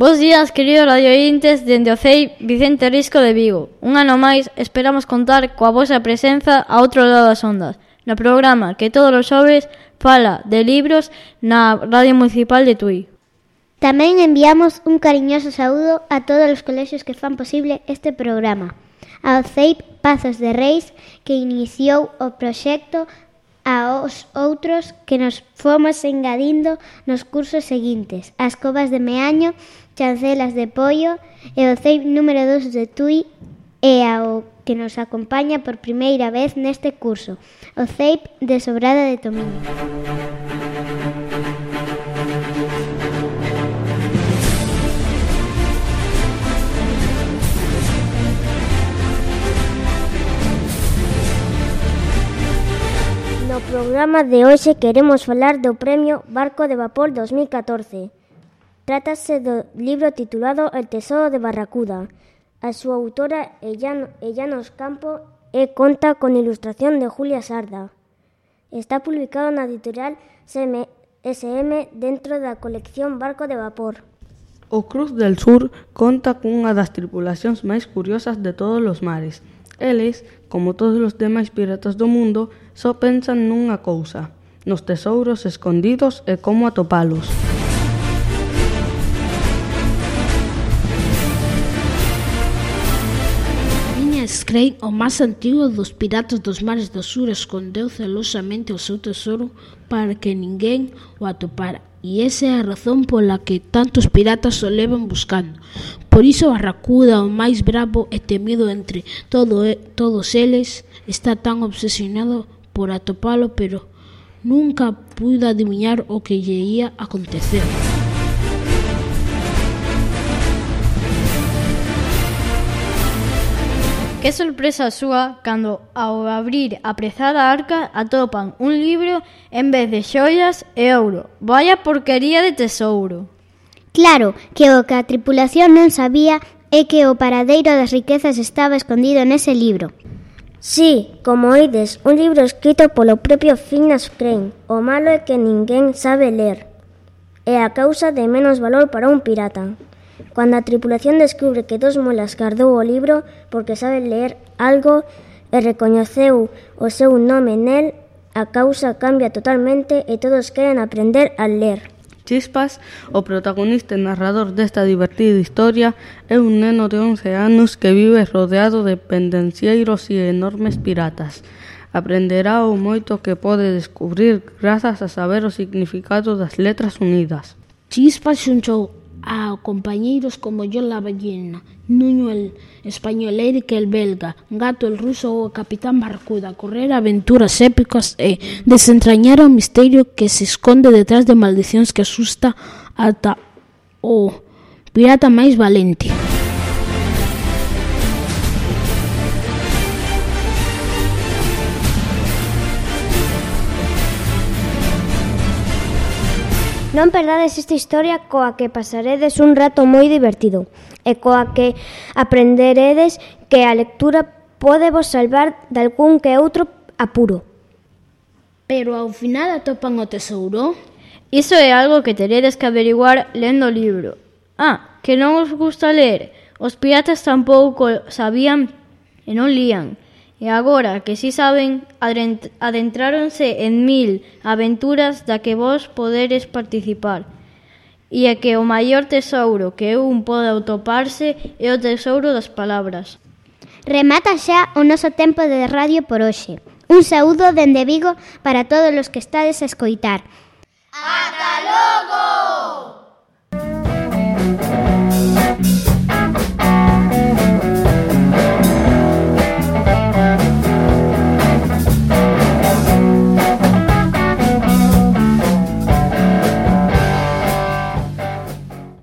Bos días, queridos radiointes, dende o CEI Vicente Risco de Vigo. Un ano máis esperamos contar coa vosa presenza a outro lado das ondas, no programa que todos os xoves fala de libros na Radio Municipal de Tui. Tamén enviamos un cariñoso saúdo a todos os colexios que fan posible este programa. Ao CEIP Pazos de Reis, que iniciou o proxecto, aos outros que nos fomos engadindo nos cursos seguintes, as Covas de Meaño, Chancelas de Pollo e o CEIP número 2 de Tui, e ao que nos acompaña por primeira vez neste curso, o CEIP de Sobrada de Tomiño. No programa de hoxe queremos falar do Premio Barco de Vapor 2014. Trátase do libro titulado El tesoro de Barracuda. A súa autora é Llanos Campo e conta con ilustración de Julia Sarda. Está publicado na editorial SM dentro da colección Barco de Vapor. O Cruz del Sur conta cunha das tripulacións máis curiosas de todos os mares. Eles, como todos os demais piratas do mundo, só pensan nunha cousa, nos tesouros escondidos e como atopalos. Phineas Crane, o máis antigo dos piratas dos mares do sur, escondeu celosamente o seu tesouro para que ninguén o atopara. E esa é a razón pola que tantos piratas o levan buscando. Por iso Barracuda, o máis bravo e temido entre todos eles, está tan obsesionado por atopalo, pero nunca puido adiviñar o que lle ia acontecer. Que sorpresa súa cando, ao abrir a prezada arca, atopan un libro en vez de xoias e ouro. Vaya porquería de tesouro. Claro, que o que a tripulación non sabía é que o paradeiro das riquezas estaba escondido nese libro. Sí, como oides, un libro escrito polo propio Phineas Crane. O malo é que ninguén sabe ler. É a causa de menos valor para un pirata. Cando a tripulación descubre que Dos Molas guardou o libro porque sabe ler algo e recoñeceu o seu nome nel, a causa cambia totalmente e todos queren aprender a ler. Chispas, o protagonista e narrador desta divertida historia, é un neno de 11 anos que vive rodeado de pendencieiros e enormes piratas. Aprenderá o moito que pode descubrir grazas a saber o significado das letras unidas. Chispas xunchou a compañeiros como John la ballena, Nuño el español, Eric el belga, Gato el ruso ou o Capitán Barracuda, correr aventuras épicas e desentrañar o misterio que se esconde detrás de maldicións que asusta ata o pirata máis valente. Non perdades esta historia coa que pasaredes un rato moi divertido e coa que aprenderedes que a lectura pode vos salvar dalgún que outro apuro. Pero ao final atopan o tesouro? Iso é algo que teredes que averiguar lendo o libro. Que non os gusta ler. Os piratas tampouco sabían e non lían. E agora que si saben, adentráronse en 1000 aventuras da que vos poderes participar. E é que o maior tesouro que un pode atoparse é o tesouro das palabras. Remata xa o noso tempo de radio por hoxe. Un saúdo dende Vigo para todos os que estades a escoitar. ¡Ata logo!